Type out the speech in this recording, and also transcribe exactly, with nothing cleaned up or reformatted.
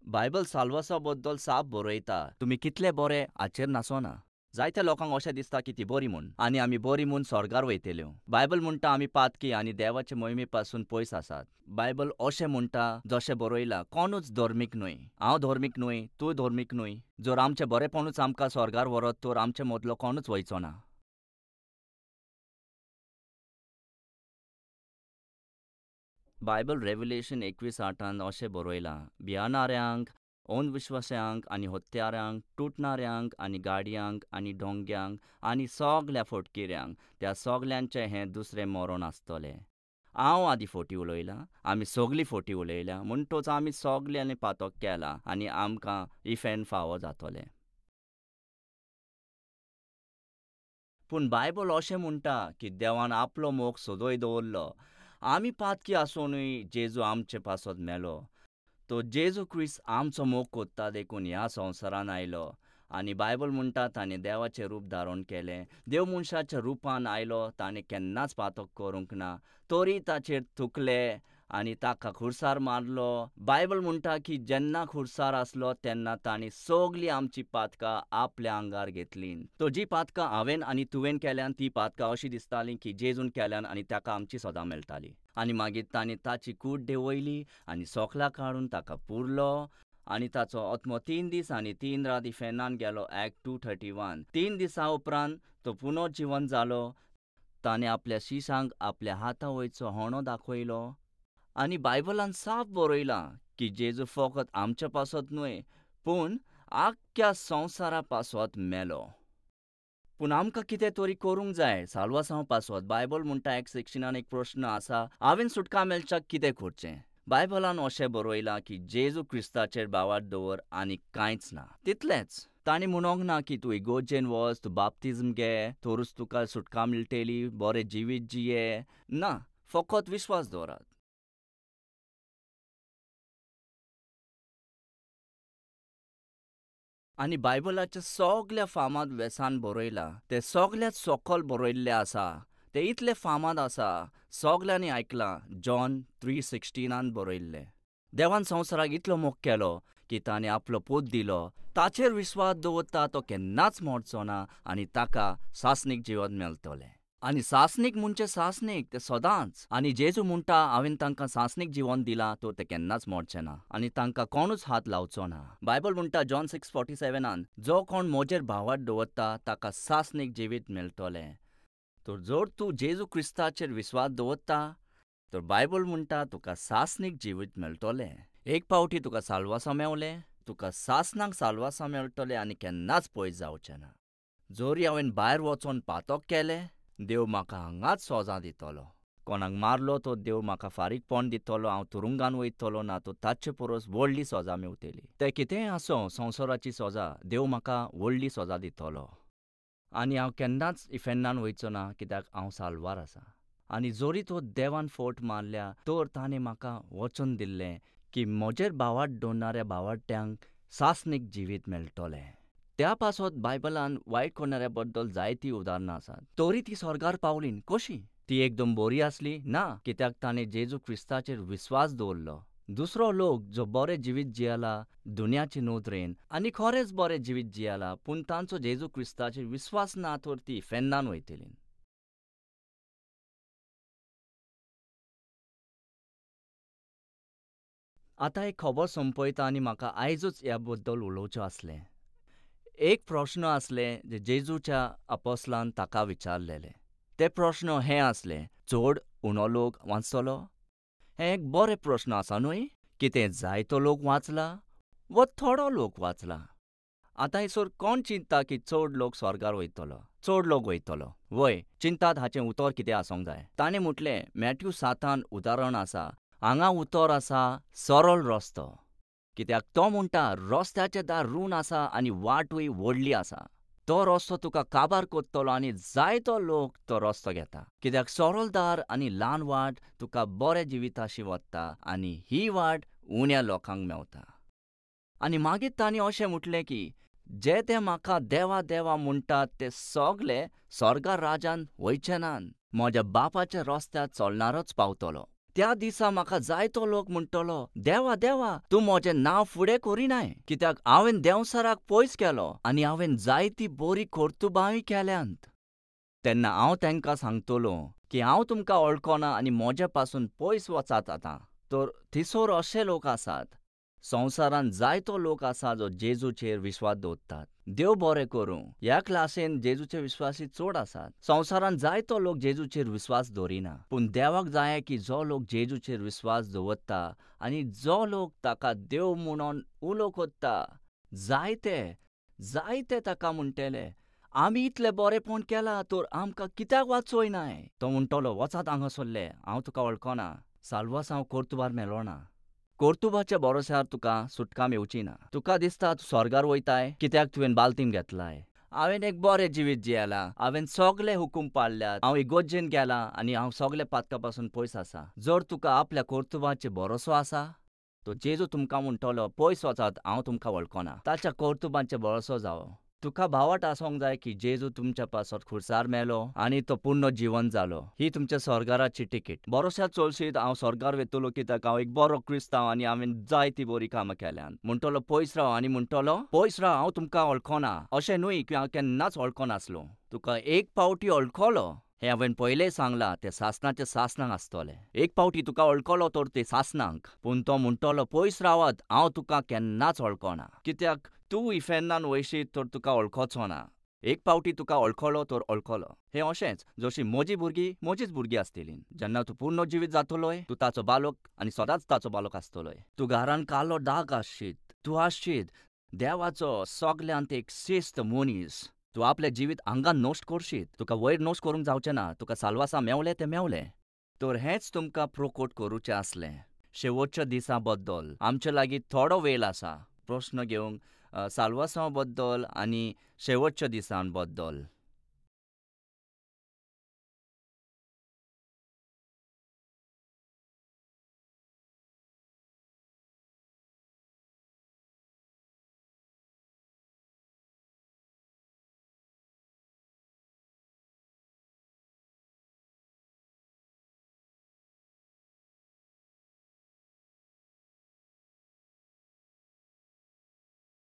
Bible साल्वासा बद्दल साफ बरयता, तुमी कितले बरे हाचेर नासोना। जायत्या लोकांक अशें दिसता की ती बरी म्हूण आनी आमी बरी म्हूण स्वर्गार वयतल्यो। बायबल म्हणटा आमी पातकी आनी देवाचे मोहिमे पासून पयस आसात। बायबल अशें म्हणटा जशें बरयलां, कोणूच धर्मीक न्हय, हांव धर्मीक न्हय, तूं धर्मीक न्हय। जर आमचें बरेपणूच आमकां स्वर्गार व्हरत तर आमचे मदलो कोणूच वयचो ना। बायबल रेव्हलेशन एकवीस आठान अशें बरयलां, भियानाऱ्यांक, अंधविश्वास्यांक आनी हत्यारांक, तुटणाऱ्यांक आनी गाडयांक आनी डोंग्यांक आनी सगल्या फोटकिऱ्यांक, त्या सगल्यांचें हें दुसरें मरण आसतलें। हांव आदीं फोटी उलयलां, आमी सगलीं फोटी उलयल्या, म्हणटच आमी सगल्यांनी पातक केलां आनी आमकां इफेन फावो जातलें। पूण बायबल अशें म्हणटा की देवान आपलो मोग सदय दवरलो। आमी पातकी आसुनूय जेजू आमचे पासत मेलो। तो जेजू क्रिस्त आमचो मोग कोत्ता देखून ह्या संवसारान आयलो आनी बायबल म्हणटा ताणें देवाचें रूप धारण केलें। देव मनशाच्या रुपान आयलो, ताणें केन्नाच पातक करूंक ना, तरी ताचेर थुकले आनी ताका खुर्सार मारलो। बायबल म्हणटा की जेन्ना खुर्सार आसलो तेन्ना ताणें सगलीं आमची पातकां आपल्या आंगार घेतलीं। तो जी पातकां हांवें आनी तुवें केल्यान ती पातकां अशी दिसताली की जेजून केल्यान आनी ताका आमची सदां मेळटाली। आनी मागीर ताणें ताची कूड देंवयली आनी सोकलां काडून ताका पुरलो आनी ताचो आत्मो तीन दीस आनी तीन रात इफेर्नान गेलो। Act two thirty one. तीन दिसां उपरांत तो पुनर्जिवन जालो। ताणें आपल्या शिशांक आपल्या हाता वयचो होणो दाखयलो आनी बायबलान साफ बरयलां की जेजू फकत आमच्या पासत न्हय पूण आख्ख्या संवसारा पासत मेलो। पूण आमकां कितें तरी करूंक जाय साल्वासांव पासत। बायबल म्हणटा एक सिक्स्टिनान एक प्रश्न आसा, हांवें सुटका मेळच्याक कितें करचें? बायबलान अशें बरयलां की जेजू क्रिस्ताचेर भावार्थ दवर आनी कांयच ना, तितलेंच। ताणें म्हणोंक ना की तूं इगोर्जेन वच, तूं बाप्तिज्म घे तरूच तुका सुटका मेळटली, बरें जिवीत जिये ना, फकत विश्वास दवरात। आनी बायबलाच्या सगल्या फामाद वेसान बरयलां, तें सगल्यात सकल बरयल्लें आसा, तें इतलें फामाद आसा, सगल्यांनी आयकलां। जॉन थ्री सिक्स्टिनान बरयल्लें, देवान संवसाराक इतलो मोग केलो की ताणें आपलो पूत दिलो, ताचेर विश्वास दवरता तो केन्नाच मरचो ना आनी ताका सासणीक जिवन मेळटलें। आनी सासणीक म्हणजे सासणीक, तें सदांच। आनी जेजू म्हणटा हांवें तांकां सासणीक जिवन दिलां तर ते केन्नाच मरचे ना आनी तांकां कोणूच हात लावचो ना। बायबल म्हणटा जॉन सिक्स फोर्टी सेवनान, जो कोण म्हजेर भावार्थ दवरता ताका सासणीक जिवीत मेळटलें। तर जर तूं जेजू क्रिस्ताचेर विश्वास दवरता तर बायबल म्हणटा तुका सासणीक जिवीत मेळटलें। एक पावटी तुका साल्वासां मेवलें, तुका सासणाक साल्वासां मेळटलें आनी केन्नाच पयस जावचें ना। जरी हांवें भायर वचोन पातक केलें, देव म्हाका हांगाच सोजा दितलो। कोणाक मारलो तो देव म्हाका फारीकपण दितलो, हांव तुरुंगान वयतलो ना तो ताचे परस व्हडली सोजा मेवतली। तें कितेंय आसूं, संवसाराची सोजा, देव म्हाका व्हडली सोजा दितलो आनी हांव केन्नाच इफेर्नान वयचो ना, कित्याक हांव साल्वार आसा। आनी जरी तो देवान फोट मारल्या तर ताणें म्हाका वचन दिल्लें की म्हजेर भावार्थ दवरणाऱ्या भावार्ट्यांक सासणीक जिवीत मेळटलें। त्या पासत बायबलान वायट करणाऱ्या बद्दल जायतीं उदाहरणां आसात। तरी ती स्वर्गार पावली कशी? ती एकदम बरी आसली ना, कित्याक ताणें जेजू क्रिस्ताचेर विश्वास दवरलो। दुसरो लोक जो बरें जिवीत जियेला दुनियाचे नदरेन आनी खरेंच बरें जिवीत जियेला, पूण तांचो जेजू क्रिस्ताचेर विश्वास ना तर ती इफेर्नान वयतली। आतां एक खबर सोंपयता आनी म्हाका आयजूच ह्या बद्दल उलोवचें आसलें। एक प्रश्न आसलें जे जेजूच्या अपोस्लान ताका विचारलेलें। ते प्रश्न हें आसलें, चड उणो लोक वाचतलो? हें एक बरें प्रश्न आसा न्हय? कितें जायतो लोक वाचला वा थोडो लोक वाचला? आतां हेसर कोण चिंतता की चड लोक स्वर्गार वयतलो, चड लोक वयतलो? वय चिंतात हाचें उतर कितें आसूंक जाय। ताणें म्हटलें, मॅथ्यू सातान उदाहरण आसा, हांगा उतर आसा सरळ रस्तो, कित्याक तो म्हणटा रस्त्याचें दार रूण आसा आनी वाटूय व्हडली आसा, तो रस्तो तुका काबार कोत्तलो आनी जायतो लोक तो रस्तो घेता, कित्याक सरळ दार आनी ल्हान वाट तुका बऱ्या जिविताशी वता आनी ही वाट उण्या लोकांक मेवता। आनी मागीर तांणी अशें म्हटलें की जे ते म्हाका देवा देवा म्हणटात ते सगले स्वर्गा राजान वयचे नात, म्हज्या बापाच्या रस्त्यार चलणारच पावतलो। त्या दिसा म्हाका जायतो लोक म्हणटलो, देवा देवा, तूं म्हजें नांव फुडें करिनाय, कित्याक हांवें देंवचाराक पयस केलो आनी हांवें जायती बरी कर्तुबांय केल्यांत. तेन्ना हांव तांकां सांगतलो की हांव तुमकां वळखना आनी म्हजे पासून पयस वचात आतां. तर थंयसर अशे लोक आसात, संवसारांत जायतो लोक आसा जो जेजूचेर विस्वास दवरतात. देव बरें करूं, ह्या क्लासीन जेजूचे विस्वासी चड आसात. संवसारांत जायतो लोक जेजूचेर विस्वास दवरिना, पूण देवाक जाय की जो लोक जेजूचेर विस्वास दवरता आनी जो लोक ताका देव म्हणून उलो करता, जायते जायते ताका म्हणटले, आमी इतलें बरेंपण केलां तर आमकां कित्याक वाचयनाय? तो म्हणटलो, वचात हांगासरले, हांव तुका वळखना. साल्वासांव कर्तुबार मेलोना. कर्तुबाच्या भरोश्यार तुका सुटका मेवची ना. तुका दिसता तूं स्वर्गार वयताय कित्याक तुवें बालतीम घेतलाय. हांवें एक बरें जिवीत जियेलां, हांवें सगळे हुकूम पाळल्यात, हांव इगर्जेन गेलां आनी हांव सगळे पातका पासून पयस आसा. जर तुका आपल्या कर्तुबाचेर भरोसो आसा तर जेजू तुमकां म्हणटलो, पयस वचात, हांव तुमकां वळखना. ताच्या कर्तुबांचेर भरोसो जावो. तुका भावाट आसूंक जाय की जेजू तुमच्या पासत खुर्सार मेलो आनी तो पूर्ण जिवन जालो. ही तुमच्या स्वर्गाराची तिकीट. भरोश्यार चलशीत हांव स्वर्गार वयतलो कित्याक हांव एक बरो क्रिस्तांव आनी हांवें जायती बरी कामां केल्यांत. म्हणटलो पयस राव आनी म्हणटलो पयस राव, हांव तुमकां वळखना. अशें न्हय की हांव केन्नाच वळखनासलो. तुका एक पावटी वळखलो हें हांवें पयलें सांगलां, तें सासणाचें सासणाक आसतलें. एक पावटी तुका वळखलो तर तें सासणाक. पूण तो म्हणटलो पयस रावात, हांव तुका केन्नाच वळखना. कित्याक तूं इफेर्नान वयशीत तर तुका वळखचो ना. एक पावटी तुका वळखलो तर वळखलो. हें अशेंच जशी म्हजी भुरगीं म्हजीच भुरगीं आसतलीं. जेन्ना तूं पूर्ण जिवीत जातलोय तूं ताचो बालक आनी सदांच ताचो बालक आसतलोय. तूं घरान कालो दाग आसशीत, तूं आसशीत देवाचो सगल्यांत एक शिस्त मनीस. तूं आपलें जिवीत हांगा नश्ट करशीत, तुका वयर नश्ट करूंक जावचें ना. तुका साल्वासां मेवलें तें मेवलें. तर हेंच तुमकां प्रोकोट करूचें आसलें शेवटच्या दिसा बद्दल. आमचे लागीं थोडो वेळ आसा प्रश्न घेवंक साल्वासांव बद्दल आनी शेवटच्या दिसां बद्दल.